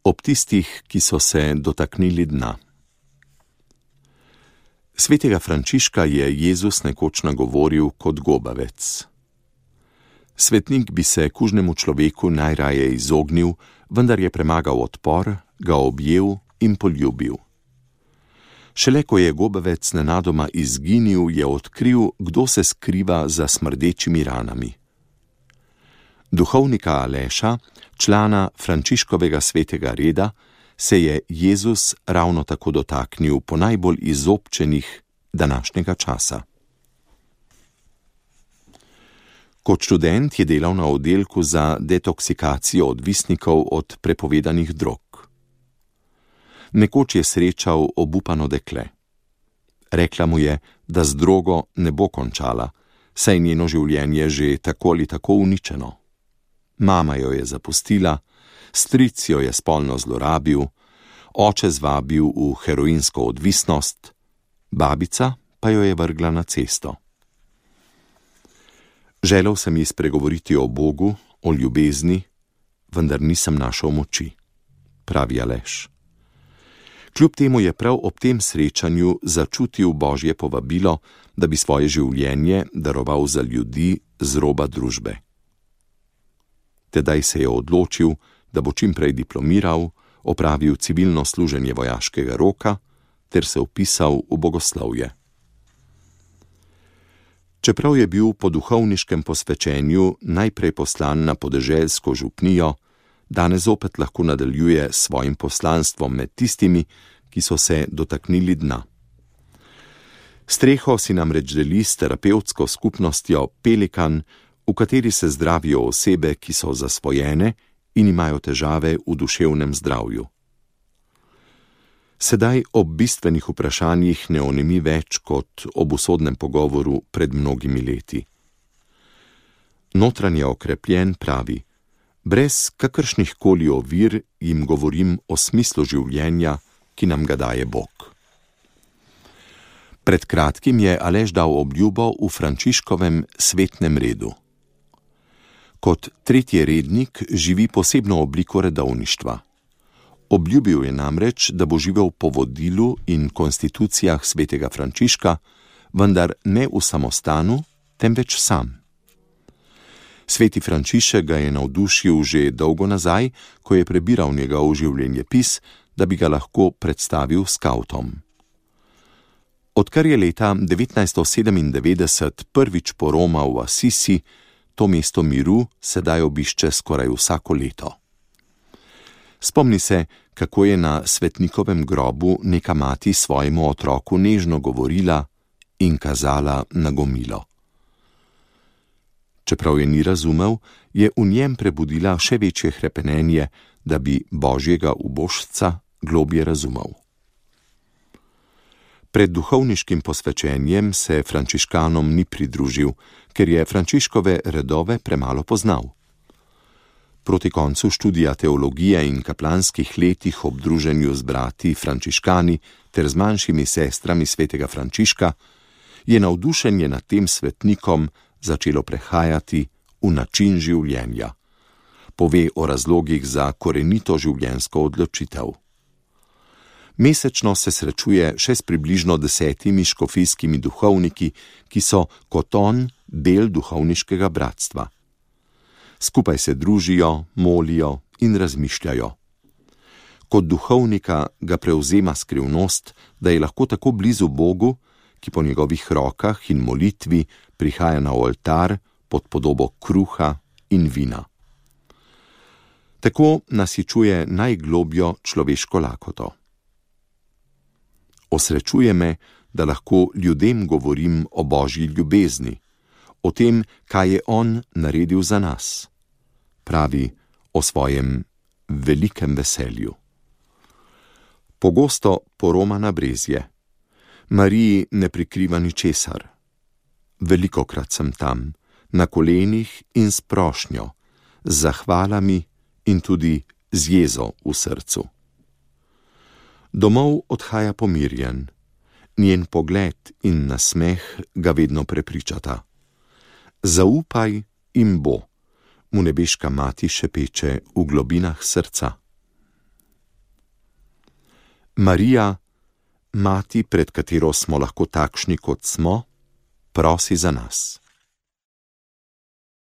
ob tistih, ki so se dotaknili dna. Svetega Frančiška je Jezus nekoč nagovoril kot gobavec. Svetnik bi se kužnemu človeku najraje izognil, vendar je premagal odpor, ga objel in poljubil. Šele ko je gobavec nenadoma izginil, je odkril, kdo se skriva za smrdečimi ranami. Duhovnika Aleša, člana Frančiškovega svetega reda, se je Jezus ravno tako dotaknil po najbolj izobčenih današnjega časa. Kot študent je delal na oddelku za detoksikacijo odvisnikov od prepovedanih drog. Nekoč je srečal obupano dekle. Rekla mu je, da z drogo ne bo končala, saj njeno življenje že tako ali tako uničeno. Mama jo je zapustila, stric jo je spolno zlorabil, oče zvabil v heroinsko odvisnost, babica pa jo je vrgla na cesto. Želel sem ji spregovoriti o Bogu, o ljubezni, vendar nisem našel moči, pravi Aleš. Kljub temu je prav ob tem srečanju začutil Božje povabilo, da bi svoje življenje daroval za ljudi z roba družbe. Tedaj se je odločil, da bo čim prej diplomiral, opravil civilno služenje vojaškega roka ter se vpisal v bogoslovje. Čeprav je bil po duhovniškem posvečenju najprej poslan na podeželsko župnijo, danes zopet lahko nadaljuje s svojim poslanstvom med tistimi, ki so se dotaknili dna. Streho si namreč deli s terapevtsko skupnostjo Pelikan, v kateri se zdravijo osebe, ki so zasvojene in imajo težave v duševnem zdravju. Sedaj ob bistvenih vprašanjih ne onemi več kot ob usodnem pogovoru pred mnogimi leti. Notranje okrepljen pravi: brez kakršnih koli ovir jim govorim o smislu življenja, ki nam ga daje Bog. Pred kratkim je Aleš dal obljubo v Frančiškovem svetnem redu. Kot tretji rednik živi posebno obliko redovništva. Obljubil je namreč, da bo živel po vodilu in konstitucijah svetega Frančiška, vendar ne v samostanu, temveč sam. Sveti Frančišek ga je navdušil že dolgo nazaj, ko je prebiral njegov življenjepis, da bi ga lahko predstavil skavtom. Odkar je leta 1997 prvič poromal v Asisi, to mesto miru sedaj obišče skoraj vsako leto. Spomni se, kako je na svetnikovem grobu neka mati svojemu otroku nežno govorila in kazala na gomilo. Čeprav je ni razumel, je v njem prebudila še večje hrepenenje, da bi Božjega ubožca globje razumel. Pred duhovniškim posvečenjem se frančiškanom ni pridružil, ker je Frančiškove redove premalo poznal. Proti koncu študija teologije in kaplanskih letih ob druženju z brati frančiškani ter z manjšimi sestrami svetega Frančiška je navdušenje nad tem svetnikom začelo prehajati v način življenja. Pove o razlogih za korenito življenjsko odločitev. Mesečno se srečuje še s približno 10 škofijskimi duhovniki, ki so kot on del duhovniškega bratstva. Skupaj se družijo, molijo in razmišljajo. Kot duhovnika ga prevzema skrivnost, da je lahko tako blizu Bogu, ki po njegovih rokah in molitvi prihaja na oltar pod podobo kruha in vina. Tako nasičuje najglobjo človeško lakoto. Osrečuje me, da lahko ljudem govorim o Božji ljubezni, o tem, kaj je on naredil za nas. Pravi o svojem velikem veselju. Pogosto poroma na brezje. Mariji ne prikriva ničesar. Velikokrat sem tam, na kolenih in s prošnjo, z zahvalami in tudi z jezo v srcu. Domov odhaja pomirjen. Njen pogled in nasmeh ga vedno prepričata. Zaupaj in bo, mu nebeška mati šepeče v globinah srca. Marija, mati, pred katero smo lahko takšni, kot smo, prosi za nas.